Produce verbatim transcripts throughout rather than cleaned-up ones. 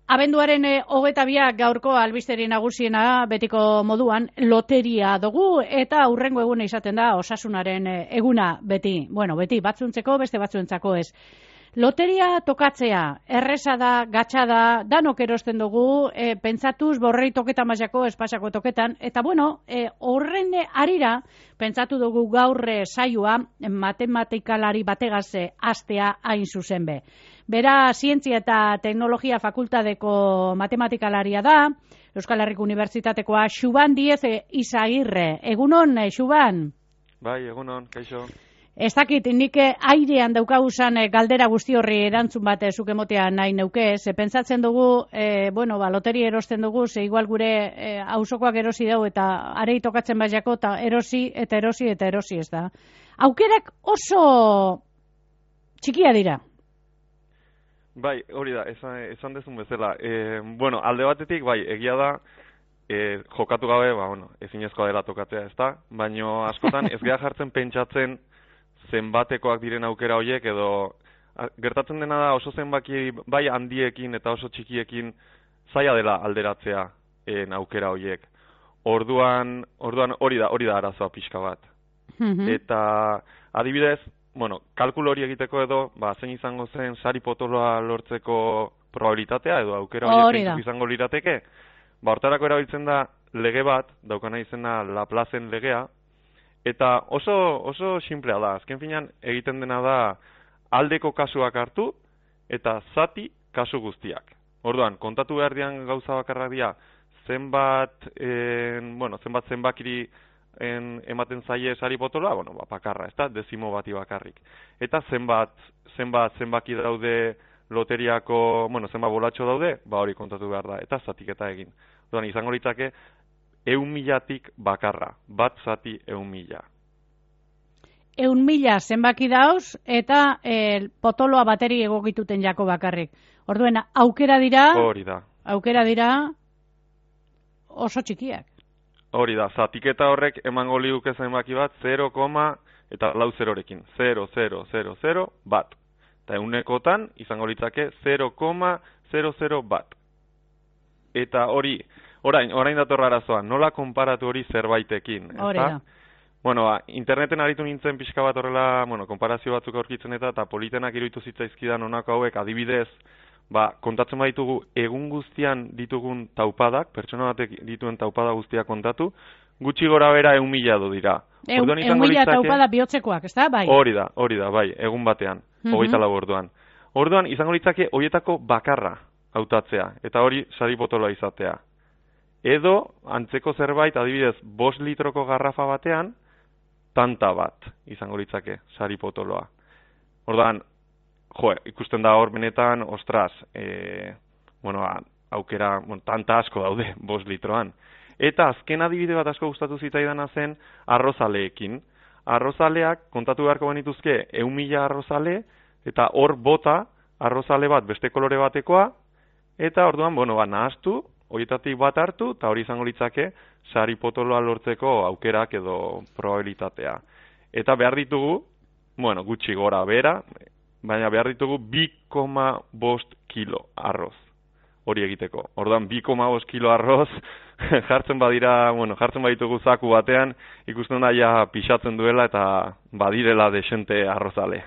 Abenduaren e, hogeta biak gaurko albisteri nagusiena betiko moduan loteria dugu eta hurrengo eguna izaten da osasunaren e, eguna beti. Bueno, beti batzuntzeko beste batzuentzako ez. Loteria tokatzea, erresa da, gatsa da, danok erosten dugu, e, pentsatuz borrei toketa mailako espasako toketan, eta bueno, e, horren arira, pentsatu dugu gaur e, saioa matematikalari bategaz e, astea hain zuzen be. Bera, Zientzia eta Teknologia Fakultadeko matematikalaria da, Euskal Herriko Unibertsitatekoa, Xuban Diez e, Izagirre. Egunon, e, Xuban? Bai, egunon, kaixo. Ez dakit, nik airean daukaguzan galdera guzti horri erantzun bat zuk emotea nahi neuke, ze pentsatzen dugu, e, bueno, ba, loteria erosten dugu, ze igual gure e, auzokoak erosi dugu eta arei tokatzen baiako, eta erosi, eta erosi, eta erosi ez da. Aukerak oso txikia dira. Bai, hori da, esan, esan dezun bezala. E, bueno, alde batetik, bai, egia da, e, jokatu gabe, ba, bueno, ezinezkoa dela tokatzea, ez da? Baina askotan ez geha jartzen pentsatzen zenbatekoak diren aukera horiek, edo a, gertatzen dena da oso zenbaki bai handiekin eta oso txikiekin zaila dela alderatzea en, aukera horiek. Orduan, orduan hori da, hori da arazoa pixka bat. Mm-hmm. Eta adibidez, bueno, kalkulo hori egiteko edo, ba, zein izango zen sari potoloa lortzeko probabilitatea edo aukera horiek izango lirateke, ba, hortarako erabiltzen da lege bat, daukana izena Laplacen legea, eta oso, oso simplea da, azken finean egiten dena da aldeko kasuak hartu eta zati kasu guztiak. Orduan, kontatu behar dian gauza bakarrak dira, zenbat, en, bueno, zenbat zenbakiri En, ematen zaie sari potoloa, bueno, ba, bakarra, ez da, dezimo bati bakarrik. Eta zenbat, zenbat, zenbaki daude loteriako, bueno, zenbat bolatxo daude, ba hori kontatu behar da, eta zatiketa egin. Orduan, izango litzake, eun milatik bakarra, bat zati eun mila. Eun mila zenbaki dauz, eta e, potoloa bateri egokituten jako bakarrik. Orduan, aukera dira, hori da. Aukera dira oso txikiak. Hori da, zatiketa horrek emango liuke zenbaki bat, zero, eta lau zerorekin. zero, zero, zero, zero, bat. Eta eunekotan izango litzake zero koma zero zero bat. Eta hori, orain, orain datorra arazoa, nola konparatu hori zerbaitekin? Hori da. Bueno, ba, interneten aritu nintzen pixka bat horrela, bueno, konparazio batzuk aurkitzen eta, eta politenak iruditu zitzaizkidan honako hauek adibidez, ba, kontatzen baditu egun guztian ditugun taupadak, pertsona batek dituen taupada guztiak kontatu, gutxi gora bera eun mila du dira. Eun mila taupada bihotzekoak, ez da, bai? Hori da, hori da, bai, egun batean, mm-hmm. hogeita lau orduan. Orduan, izango litzake horietako bakarra hautatzea, eta hori sari potoloa izatea. Edo, antzeko zerbait, adibidez, bost litroko garrafa batean, tanta bat izango litzake sari potoloa. Orduan, jo, ikusten da hor benetan, ostras, e, bueno, aukera, bueno, tanta asko daude, bost litroan. Eta azken adibide bat asko gustatu zitaidana zen arrozaleekin. Arrozaleak, kontatu beharko benituzke, eun mila arrozale, eta hor bota arrozale bat beste kolore batekoa, eta orduan, bueno, ba, nahaztu, horietatik bat hartu, eta hori izango litzake, sari potoloa lortzeko aukerak edo probabilitatea. Eta behar ditugu, bueno, gutxi gora bera, baina behar ditugu bi koma bost kilo arroz hori egiteko. Orduan, bi koma bost kilo arroz jartzen badira, bueno, jartzen baditugu zaku batean, ikusten da ja pixatzen duela eta badirela desente arrozale.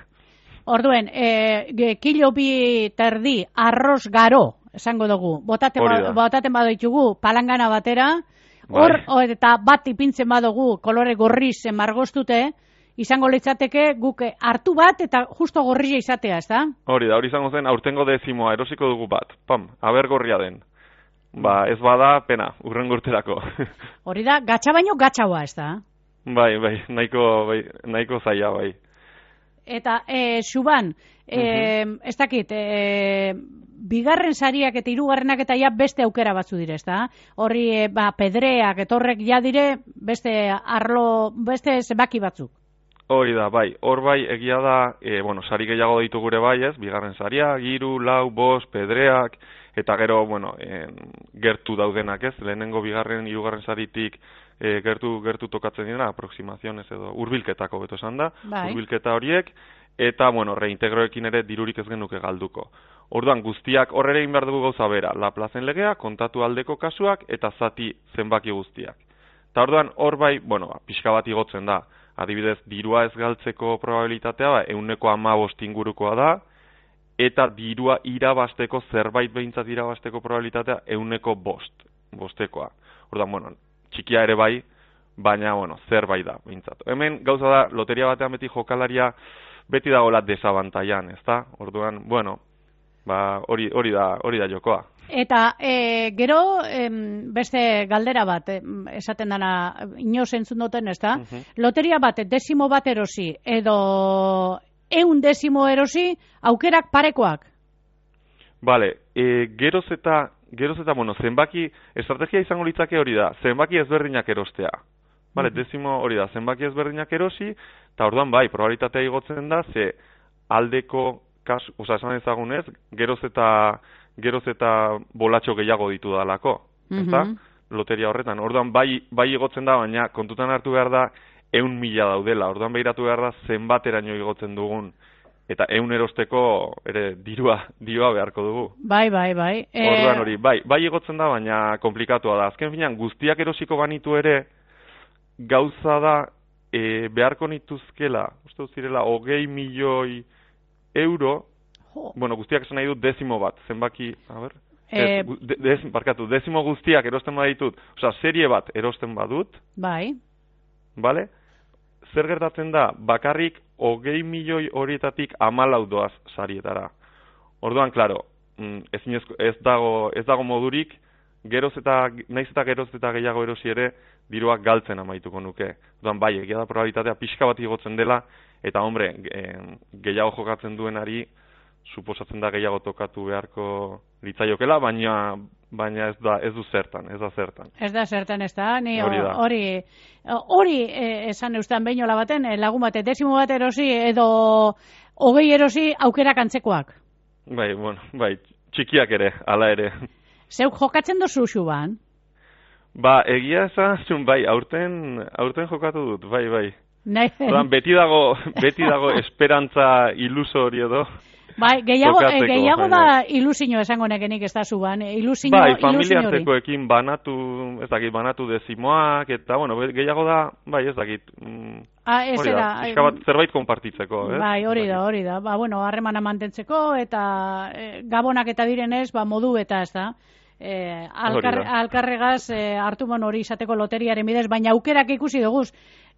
Orduen, e, kilo bi terdi arroz garo, esango dugu, botaten, ba, botaten badoitugu palangana batera, hor, bai. Eta bat ipintzen badugu kolore gorriz margostute, izango litzateke guk hartu bat eta justo gorria izatea, ez da? Hori da, hori izango zen aurtengo dezimoa, erosiko dugu bat, pam, aber gorria den. Ba, ez bada, pena, urren urterako. Hori da, gatsa baino gatsaua, ez da? Bai, bai, nahiko, bai, nahiko zaila, bai. Eta, e, Xuban, e, uh-huh. ez dakit, e, bigarren sariak eta hirugarrenak eta ja beste aukera batzu dire, ez da? Horri, e, ba, pedreak, etorrek ja dire, beste arlo, beste zenbaki batzuk. Hori da, bai, hor bai egia da, e, bueno, sari gehiago ditu gure bai, ez, bigarren saria, hiru, lau, bost, pedreak, eta gero, bueno, en, gertu daudenak, ez, lehenengo bigarren, hirugarren saritik e, gertu, gertu tokatzen dira, aproximaziones edo, hurbilketako beto esan da, bai. Hurbilketa horiek, eta, bueno, reintegroekin ere dirurik ez genuke galduko. Orduan, guztiak horrere egin behar dugu gauza bera, Laplazen legea, kontatu aldeko kasuak, eta zati zenbaki guztiak. Eta orduan, hor bai, bueno, ba, pixka bat igotzen da, adibidez, dirua ez galtzeko probabilitatea, ba, euneko hamabost ingurukoa da, eta dirua irabasteko, zerbait behintzat irabasteko probabilitatea, euneko bost, bostekoa. Orduan, bueno, txikia ere bai, baina, bueno, zerbait da, behintzat. Hemen, gauza da, loteria batean beti jokalaria, beti dagoela desabantaian, ezta? Orduan, bueno, ba, hori, hori da, hori da jokoa. Eta e, gero em, beste galdera bat, em, esaten dana, inoz entzun duten, ez da? Uh-huh. Loteria bat, desimo bat erosi, edo eun desimo erosi, aukerak parekoak? Bale, e, geroz eta, geroz eta, bueno, zenbaki, estrategia izango litzake hori da, zenbaki ezberdinak erostea. Bale, uh-huh. Desimo hori da, zenbaki ezberdinak erosi, eta orduan bai, probabilitatea igotzen da, ze aldeko, kas, oza, esan ezagunez, geroz eta, geroz eta bolatxo gehiago ditu dalako, ezta? Mm-hmm. Loteria horretan. Orduan bai, bai igotzen da, baina kontutan hartu behar da eun mila daudela. Orduan behiratu behar da zenbateraino igotzen dugun. Eta eun erosteko ere dirua, dirua beharko dugu. Bai, bai, bai. Orduan hori, bai, bai igotzen da, baina komplikatua da. Azken finean, guztiak erosiko banitu ere, gauza da, e, beharko nituzkela, uste zirela, hogei milioi euro, jo. Bueno, guztiak esan nahi dut desimo bat, zenbaki, a ber, eh, ez, de, de, barkatu, desimo guztiak erosten baditut, osea, serie bat erosten badut, bai, bale? Zer gertatzen da, bakarrik hogei milioi horietatik hamalau doaz sarietara. Orduan, klaro, ez, ez, dago, ez dago modurik, geroz eta, naiz eta geroz eta gehiago erosi ere, diruak galtzen amaituko nuke. Orduan, bai, egia da probabilitatea pixka bat igotzen dela, eta, hombre, gehiago jokatzen duenari, suposatzen da gehiago tokatu beharko litzaiokela, baina baina ez da ez du zertan, ez da zertan. Ez da zertan, ez da. Ni hori hori hori esan eustan beinola baten, lagun bate desimo bat erosi edo hogei erosi aukerak antzekoak. Bai, bueno, bai, txikiak ere, hala ere. Zeuk jokatzen dozu Xuban? Ba, egia esan, bai, aurten aurten jokatu dut, bai, bai. Nahi. Beti dago, beti dago esperantza iluso hori edo. Bai, gehiago, eh, gehiago da ilusio esango nekenik ez da Xuban. Ilusio, bai, familia artekoekin banatu, ez dakit, banatu dezimoak, eta, bueno, gehiago da, bai, ez dakit. Mm, ah, ez da, da. Bat, zerbait konpartitzeko, eh? Bai, hori da, hori da. Ba, bueno, harremana mantentzeko, eta eh, gabonak eta direnez, ba, modu eta ez da. Eh, alkar, alkarregaz eh, hartu mon hori izateko loteriaren bidez, baina aukerak ikusi duguz.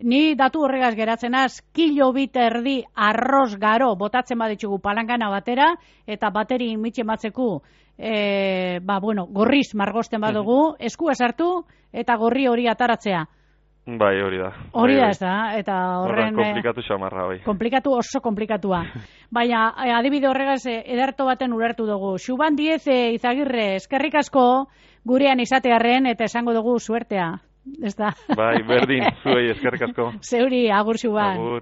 Ni datu horregaz geratzenaz, kilo bit erdi arroz garo botatzen baditzugu palangana batera, eta bateri mitxe matzeku, e, ba, bueno, gorriz margosten badugu, eskua sartu, eta gorri hori ataratzea. Bai, hori da. Hori da, ez da, eta horren... Komplikatu xamarra, bai. Komplikatu, oso komplikatua. Baina, adibide horregaz, ederto baten ulertu dugu. Xuban Diez Izagirre, eskerrik asko gurean izatearren, eta esango dugu suertea. Ez da. Bai, berdin, zuei eskerrik asko. Zeuri, agur Xuban. Agur.